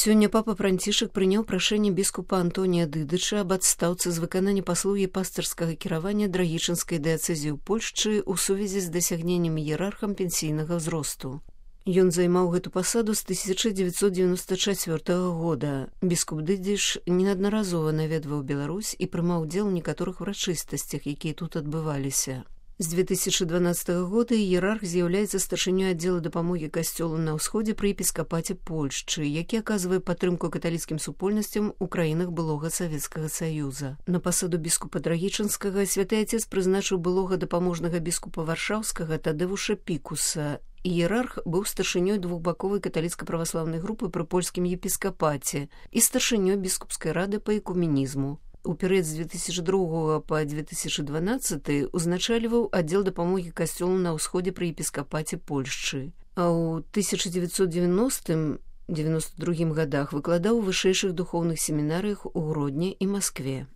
Сёння папа Францішак прыняў прашэнне біскупа Антонія Дыдыча аб адстаўцы з выканання паслугі пастырскага кіравання драгічынскай дыяцэзіі ў Польшчы ў сувязі з дасягненнем іерархам пенсійнага ўзросту. Ён займаў гэту пасаду з 1994 года. Біскуп Дыдыч неаднаразова наведваў Беларусь і прымаў удзел у некаторых урачыстасцях, якія тут адбываліся. З 2012 года іерарх з'яўляецца старшынёй аддзела дапамогі касцёлу на ўсходзе пры епіскапаце Польшчы, які аказвае падтрымку каталіцкім супольнасцям у краінах былога Савецкага Саюза. На пасаду біскупа Драгічынскага святы отец прызначыў былога дапаможнага біскупа Варшаўскага Тадеуша Пікуса. Іерарх быў старшынёй двухбаковай каталіцка-праваслаўнай групы пры польскім епіскапаце і старшынёй біскупскай рады па экуменізму. У перыяд з 2002 па 2012 узначальваў аддзел дапамогі касцёлу на ўсходзе пры епіскапаце Польшчы, а ў 1990-92 годах выкладаў у вышэйшых духоўных семінарыях у Гродні і Маскве.